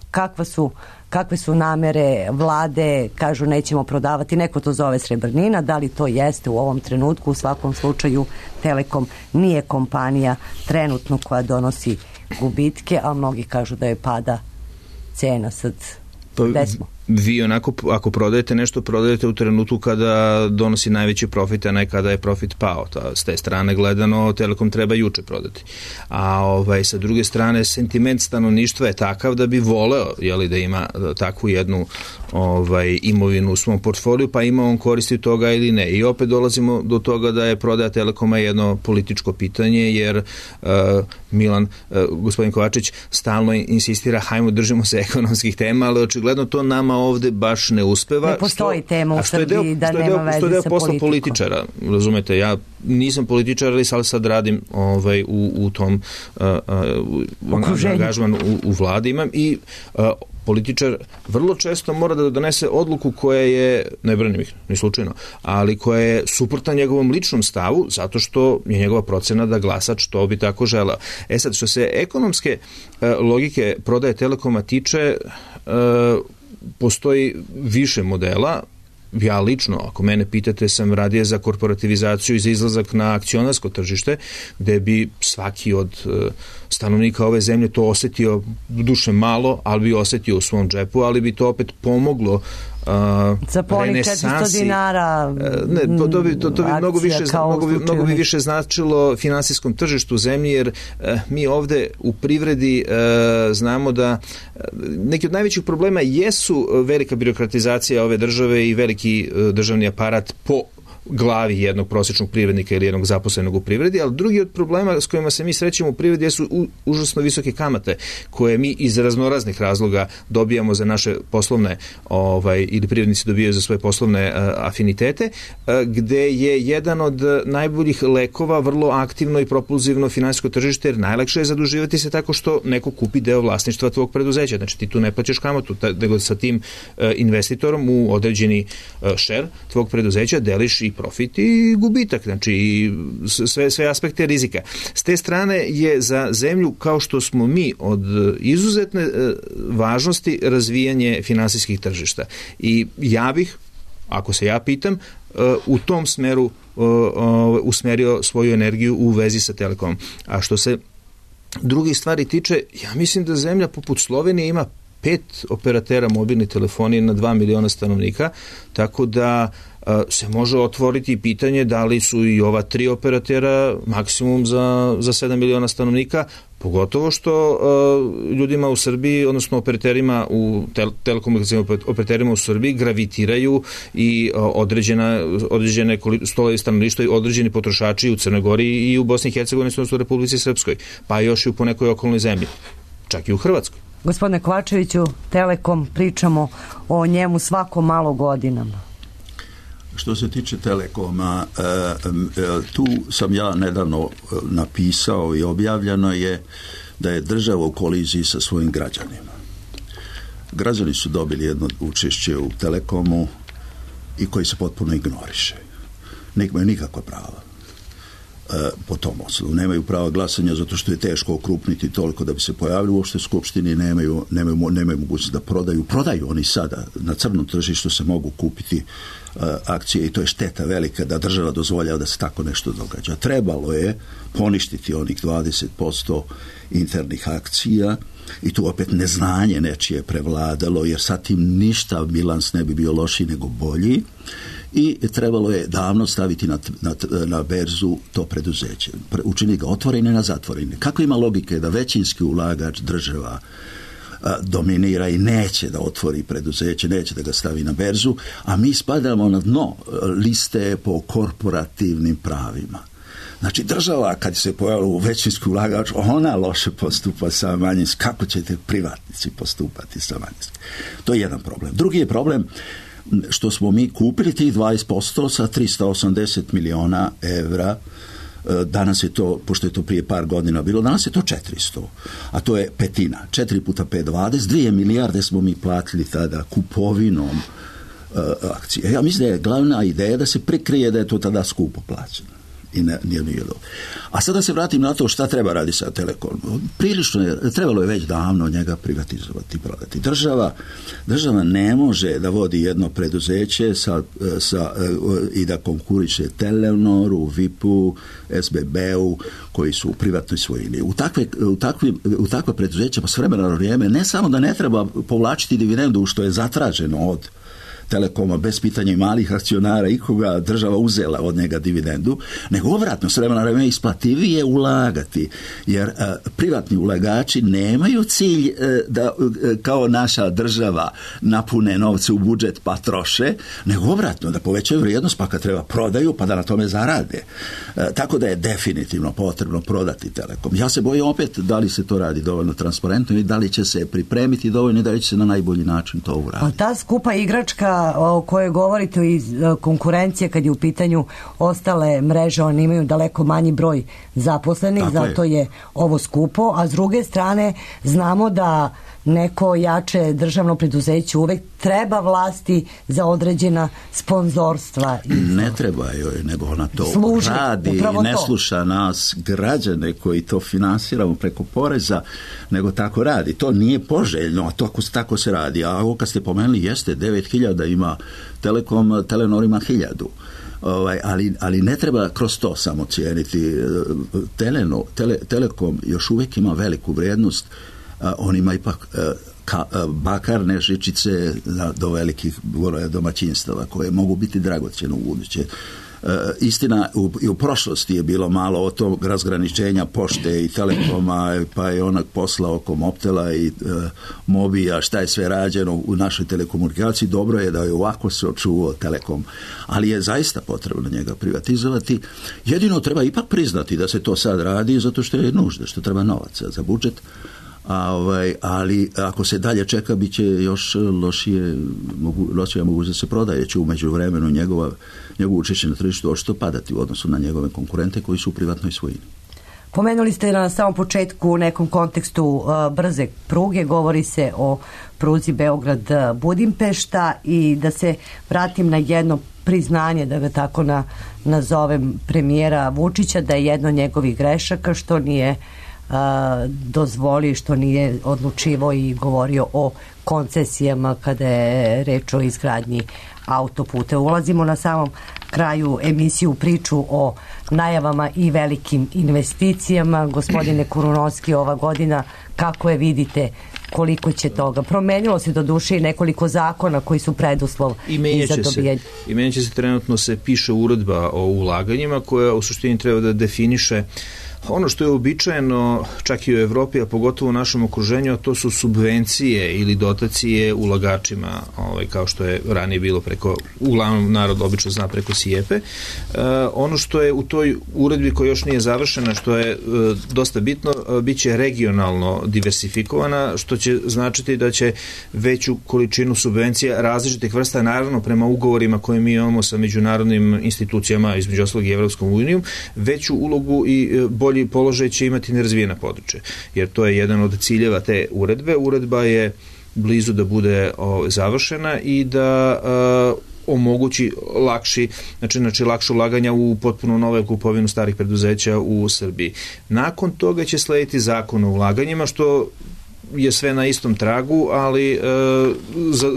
Kakve su namere vlade, kažu nećemo prodavati, neko to zove srebrnina, da li to jeste u ovom trenutku? U svakom slučaju Telekom nije kompanija trenutno koja donosi gubitke, a mnogi kažu da je pada cena sad. Gde smo? Vi onako, ako prodajete nešto, prodajete u trenutku kada donosi najveći profit, a ne kada je profit pao. S te strane gledano, Telekom treba juče prodati. A sa druge strane, sentiment stanovništva je takav da bi voleo da ima takvu jednu imovinu u svom portfoliju, pa ima on koristi toga ili ne. I opet dolazimo do toga da je prodaja Telekoma jedno političko pitanje, jer gospodin Kovačić stalno insistira, hajmo držimo se ekonomskih tema, ali očigledno to nama ovde baš ne uspeva. Ne postoji tema u Srbiji da nema veze sa politikom. Političara, razumete, ja nisam političar, ali sad radim u tom angažmanu u vladi imam i političar vrlo često mora da donese odluku koja je, ne branim ih, ni slučajno, ali koja je suprotna njegovom ličnom stavu, zato što je njegova procena da glasač to bi tako želeo. Sad, što se ekonomske logike prodaje Telekoma tiče, postoji više modela. Ja lično, ako mene pitate, sam radije za korporativizaciju i za izlazak na akcionarsko tržište, gde bi svaki od stanovnika ove zemlje to osetio, duše malo, ali bi osetio u svom džepu, ali bi to opet pomoglo za ponih 400 dinara ne, to bi mnogo bi više značilo finansijskom tržištu zemlji, jer mi ovde u privredi znamo da neki od najvećih problema jesu velika birokratizacija ove države i veliki državni aparat po glavi jednog prosječnog privrednika ili jednog zaposlenog u privredi, ali drugi od problema s kojima se mi srećemo u privredi su užasno visoke kamate koje mi iz raznoraznih razloga dobijamo za naše poslovne ili privrednici dobijaju za svoje poslovne afinitete, gde je jedan od najboljih lekova vrlo aktivno i propulzivno finansijsko tržište, jer najlakše je zaduživati se tako što neko kupi deo vlasništva tvog preduzeća. Znači ti tu ne plaćaš kamatu, nego sa tim investitorom u određeni share tvog preduzeća deliš i profit i gubitak, znači i sve aspekte rizika. S te strane je za zemlju kao što smo mi od izuzetne važnosti razvijanje finansijskih tržišta. I ja bih, ako se ja pitam, u tom smeru usmerio svoju energiju u vezi sa Telekomom. A što se drugih stvari tiče, ja mislim da zemlja poput Slovenije ima 5 operatera mobilne telefonije na 2 miliona stanovnika, tako da se može otvoriti pitanje da li su i ova 3 operatera maksimum za 7 miliona stanovnika, pogotovo što ljudima u Srbiji, odnosno operaterima u telekomunikacijama operaterima u Srbiji gravitiraju i određene stolovi stanovništva i određeni potrošači u Crnoj Gori i u Bosni i Hercegovini, odnosno u Republici Srpskoj, pa još i u ponekoj okolnoj zemlji, čak i u Hrvatskoj. Gospodine Kovačeviću, Telekom, pričamo o njemu svako malo godinama. Što se tiče Telekoma, tu sam ja nedavno napisao i objavljeno je da je država u koliziji sa svojim građanima. Građani su dobili jedno učešće u Telekomu i koji se potpuno ignoriše. Nemaju nikakva prava po tom osnovu. Nemaju prava glasanja zato što je teško okrupniti toliko da bi se pojavili uopšte u Skupštini, nemaju mogućnost da prodaju oni sada na crnom tržištu se mogu kupiti akcije i to je šteta velika da država dozvoljava da se tako nešto događa. Trebalo je poništiti onih 20% internih akcija i tu opet neznanje nečije prevladalo, jer sa tim ništa bilans ne bi bio lošiji nego bolji i trebalo je davno staviti na berzu to preduzeće. Učini ga otvorene na zatvorene. Kako ima logike da većinski ulagač država dominira i neće da otvori preduzeće, neće da ga stavi na berzu, a mi spadamo na dno liste po korporativnim pravima. Znači država kad se pojavila u većinski ulagač, ona loše postupa sa manjinskim. Kako ćete privatnici postupati sa manjinskim? To je jedan problem. Drugi je problem što smo mi kupili tih 20% sa 380 miliona evra. Danas je to, pošto je to prije par godina bilo, danas je to 400, a to je petina. 4 puta 5, 20, 2 milijarde smo mi platili tada kupovinom akcije. Ja mislim da je glavna ideja da se prikrije da je to tada skupo plaćeno. I nije dobro. A sada se vratim na to šta treba radi sa Telekomom. Prilično je, trebalo je već davno njega privatizovati, prodati. Država ne može da vodi jedno preduzeće i da konkuriše Telenoru, VIP-u, SBB-u, koji su u privatnoj svojini. U takve preduzeća pa s vremena na vrijeme ne samo da ne treba povlačiti dividendu što je zatraženo od Telekoma bez pitanja i malih akcionara ikoga država uzela od njega dividendu, nego obratno s vremena na vrijeme isplativije ulagati, jer privatni ulagači nemaju cilj da kao naša država napune novce u budžet pa troše, nego obratno da povećaju vrijednost pa kad treba prodaju pa da na tome zarade. Tako da je definitivno potrebno prodati Telekom. Ja se bojim opet da li se to radi dovoljno transparentno i da li će se pripremiti dovoljno i da li će se na najbolji način to uraditi. A ta skupa igračka o kojoj govorite iz konkurencije kad je u pitanju ostale mreže, oni imaju daleko manji broj zaposlenih, zato je ovo skupo, a s druge strane znamo da neko jače državno preduzeće uvek treba vlasti za određena sponzorstva. Ne treba joj, nego ona to radi i ne sluša nas građane koji to finansiramo preko poreza, nego tako radi. To nije poželjno, a to tako se radi. A ovo kad ste pomenuli jeste, 9.000 ima Telekom, Telenor ima 1.000. Ali ne treba kroz to samo cijeniti. Telekom još uvijek ima veliku vrijednost. On ima ipak bakarne žičice do velikih domaćinstava koje mogu biti dragocjene u buduće. Istina, i u prošlosti je bilo malo od tog razgraničenja pošte i Telekoma, pa je onak posla oko Mobtela i Mobija, šta je sve rađeno u našoj telekomunikaciji. Dobro je da je ovako se očuvao Telekom, ali je zaista potrebno njega privatizovati. Jedino treba ipak priznati da se to sad radi zato što je nužda, što treba novaca za budžet. Ali ako se dalje čeka bit će još lošija mogućnost da se prodaje, će u međuvremenu njegovo učešće na tržištu očito padati u odnosu na njegove konkurente koji su u privatnoj svojini. Pomenuli ste na samom početku u nekom kontekstu brze pruge, govori se o pruzi Beograd-Budimpešta i da se vratim na jedno priznanje, da ga tako nazovem, premijera Vučića, da je jedno od njegovih grešaka što nije dozvolio, što nije odlučivao i govorio o koncesijama kada je reč o izgradnji autoputa. Ulazimo na samom kraju emisiju priču o najavama i velikim investicijama. Gospodine Kurunovski, ova godina kako je vidite, koliko će toga? Promenilo se do duše i nekoliko zakona koji su preduslov za dobijanje. I menjaće se, trenutno se piše uredba o ulaganjima koja u suštini treba da definiše ono što je uobičajeno čak i u Evropi, a pogotovo u našem okruženju, a to su subvencije ili dotacije ulagačima, kao što je ranije bilo preko, uglavnom narod obično zna preko SIEPE. Ono što je u toj uredbi koja još nije završena, što je dosta bitno, bit će regionalno diversifikovana, što će značiti da će veću količinu subvencija različitih vrsta, naravno prema ugovorima koje mi imamo sa međunarodnim institucijama, između ostalog i Evropskom unijom, veću ulogu i bolji položaj će imati nerazvijena područja, jer to je jedan od ciljeva te uredbe. Uredba je blizu da bude završena i da omogući lakše ulaganja u potpuno nove kupovinu starih preduzeća u Srbiji. Nakon toga će slediti zakon o ulaganjima, što je sve na istom tragu, ali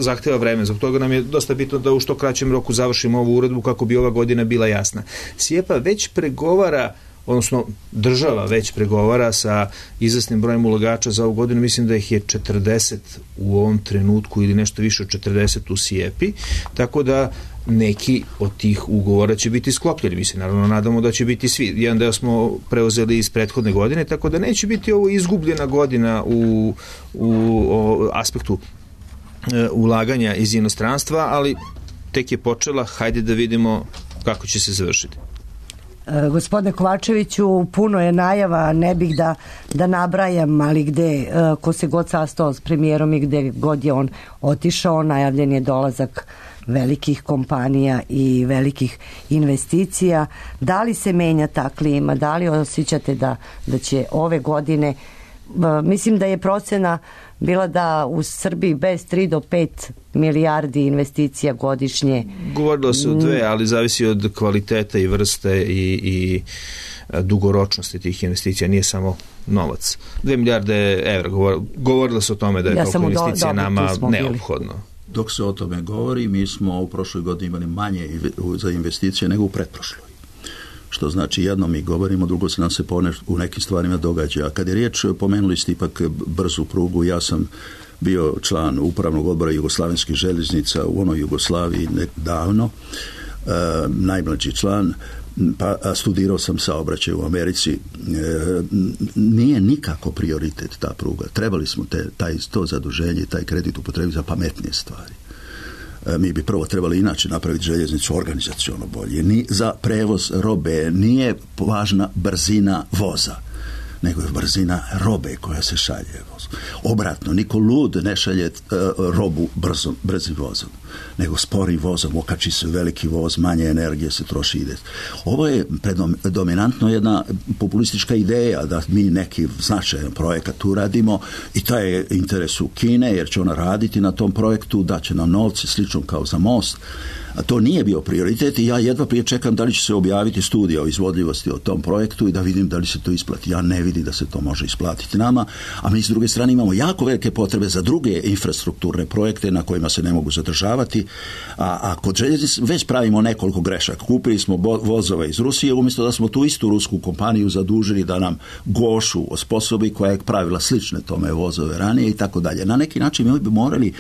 zahteva vreme. Zbog toga nam je dosta bitno da u što kraćem roku završimo ovu uredbu kako bi ova godina bila jasna. SIEPA već pregovara, odnosno država već pregovara sa izvesnim brojem ulagača za ovu godinu, mislim da ih je 40 u ovom trenutku ili nešto više od 40 u SIEPI, tako da neki od tih ugovora će biti sklopljeni. Mi se naravno nadamo da će biti svi. Jedan deo smo preuzeli iz prethodne godine, tako da neće biti ovo izgubljena godina u aspektu ulaganja iz inostranstva, ali tek je počela, hajde da vidimo kako će se završiti. Gospodine Kovačeviću, puno je najava, ne bih da nabrajam, ali gde, ko se god sastao s premijerom i gde god je on otišao, najavljen je dolazak velikih kompanija i velikih investicija. Da li se menja ta klima? Da li osjećate da će ove godine, mislim da je procena bila da u Srbiji bez 3 do 5 milijardi investicija godišnje. Govorilo se o 2, ali zavisi od kvaliteta i vrste i dugoročnosti tih investicija, nije samo novac. 2 milijarde evra, govorilo se o tome da je toliko investicija nama neophodno. Dok se o tome govori, mi smo u prošloj godini imali manje za investicije nego u pretprošloj. Što znači jedno mi govorimo, drugo se nam se u nekim stvarima događa. A kad je riječ, pomenuli ste ipak brzu prugu, ja sam bio član upravnog odbora Jugoslavenskih željeznica u onoj Jugoslaviji davno, najmlađi član, pa studirao sam saobraćaj u Americi. Nije nikako prioritet ta pruga. Trebali smo to zaduženje i taj kredit upotrebiti za pametnije stvari. Mi bi prvo trebali inače napraviti željeznicu organizaciono bolje. Za prevoz robe nije važna brzina voza, nego je brzina robe koja se šalje vozom. Obratno, niko lud ne šalje robu brzim vozom, nego sporim vozom, okači se veliki voz, manje energije se troši ide. Ovo je predominantno jedna populistička ideja da mi neki značajan projekat uradimo i taj je interes u Kine, jer će ona raditi na tom projektu, daće nam novce, slično kao za most. A to nije bio prioritet i ja jedva prije čekam da li će se objaviti studija o izvodljivosti o tom projektu i da vidim da li se to isplati. Ja ne vidim da se to može isplatiti nama, a mi s druge strane imamo jako velike potrebe za druge infrastrukturne projekte na kojima se ne mogu zadržavati, a kod željeznice već pravimo nekoliko grešaka. Kupili smo vozove iz Rusije umjesto da smo tu istu rusku kompaniju zadužili da nam Gošu osposobi koja je pravila slične tome vozove ranije i tako dalje. Na neki način mi bi morali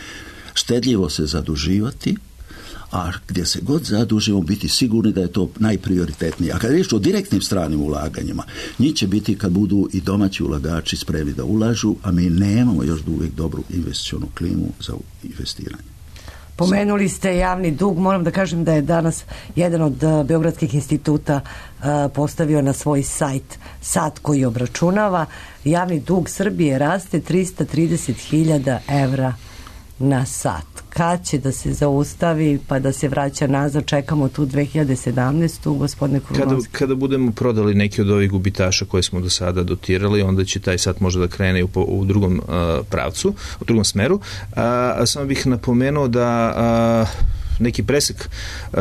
štedljivo se zaduživati, a gdje se god zadužimo biti sigurni da je to najprioritetnije. A kad je riječ o direktnim stranim ulaganjima, njih će biti kad budu i domaći ulagači spremni da ulažu, a mi nemamo još uvijek dobru investicionu klimu za investiranje. Pomenuli ste javni dug, moram da kažem da je danas jedan od beogradskih instituta postavio na svoj sajt sat koji obračunava. Javni dug Srbije raste 330.000 evra na sat. Kad će da se zaustavi pa da se vraća nazad, čekamo tu 2017. gospodine Kurunovski. Kada budemo prodali neki od ovih gubitaša koje smo do sada dotirali, onda će taj sat možda da krene u drugom pravcu, u drugom smeru. Samo bih napomenuo da neki presek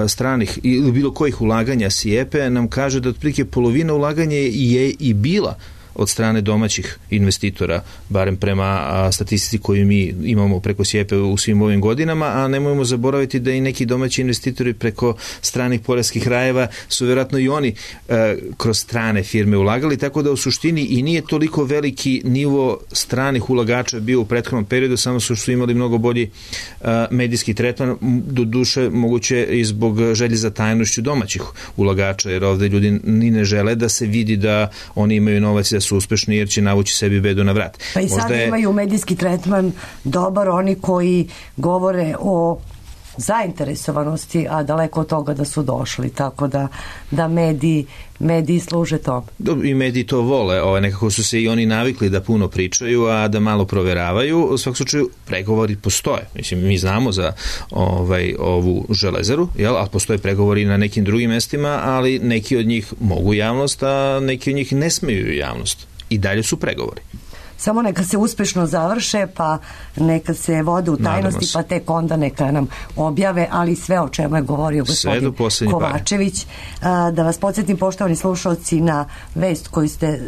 stranih ili bilo kojih ulaganja SIEPE nam kaže da otprilike polovina ulaganja je i bila od strane domaćih investitora, barem prema statistici koju mi imamo preko SIEPE u svim ovim godinama, a nemojmo zaboraviti da i neki domaći investitori preko stranih poreskih rajeva su vjerojatno i oni kroz strane firme ulagali, tako da u suštini i nije toliko veliki nivo stranih ulagača bio u prethodnom periodu, samo su imali mnogo bolji medijski tretman, do duše moguće i zbog želje za tajnošću domaćih ulagača, jer ovde ljudi ni ne žele da se vidi da oni imaju novac da su uspešni, jer će navući sebi bedu na vrat. Pa i sad imaju medijski tretman dobar oni koji govore o zainteresovanosti, a daleko od toga da su došli, tako da mediji služe to. I mediji to vole, nekako su se i oni navikli da puno pričaju, a da malo proveravaju. U svakom slučaju pregovori postoje. Mislim, mi znamo za ovu železaru, a postoje pregovori na nekim drugim mestima, ali neki od njih mogu javnost, a neki od njih ne smeju javnost. I dalje su pregovori. Samo neka se uspešno završe, pa neka se vode u tajnosti, pa tek onda neka nam objave, ali sve o čemu je govorio gospodin Kovačević. Da vas podsjetim, poštovani slušalci, na vest koju ste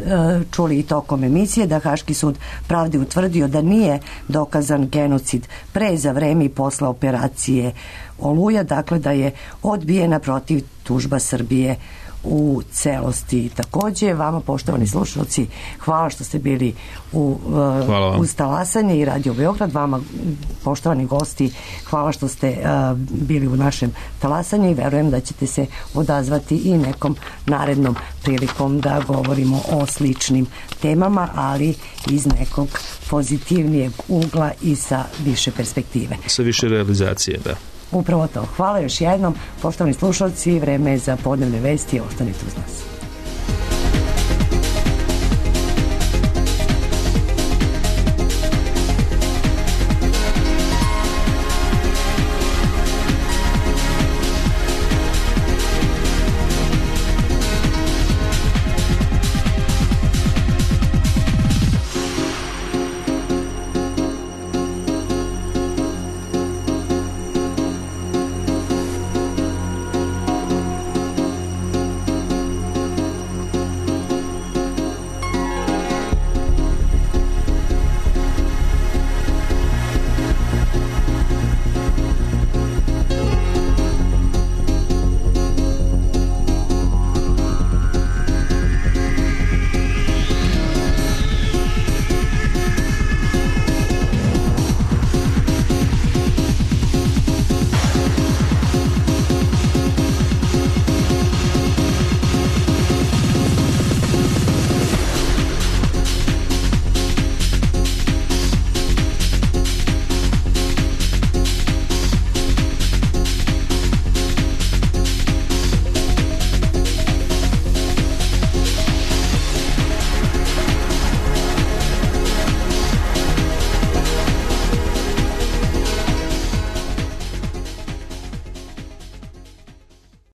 čuli i tokom emisije, da Haški sud pravde utvrdio da nije dokazan genocid pre, za vreme i posle operacije Oluja, dakle da je odbijena protiv tužba Srbije u celosti. Takođe, vama, poštovani slušalci, hvala što ste bili uz Talasanje i Radio Beograd. Vama, poštovani gosti, hvala što ste bili u našem Talasanju i verujem da ćete se odazvati i nekom narednom prilikom da govorimo o sličnim temama, ali iz nekog pozitivnijeg ugla i sa više perspektive. Sa više realizacije, da. Upravo to. Hvala još jednom. Poštovani slušalci, vreme je za podnevne vesti. Ostanite uz nas.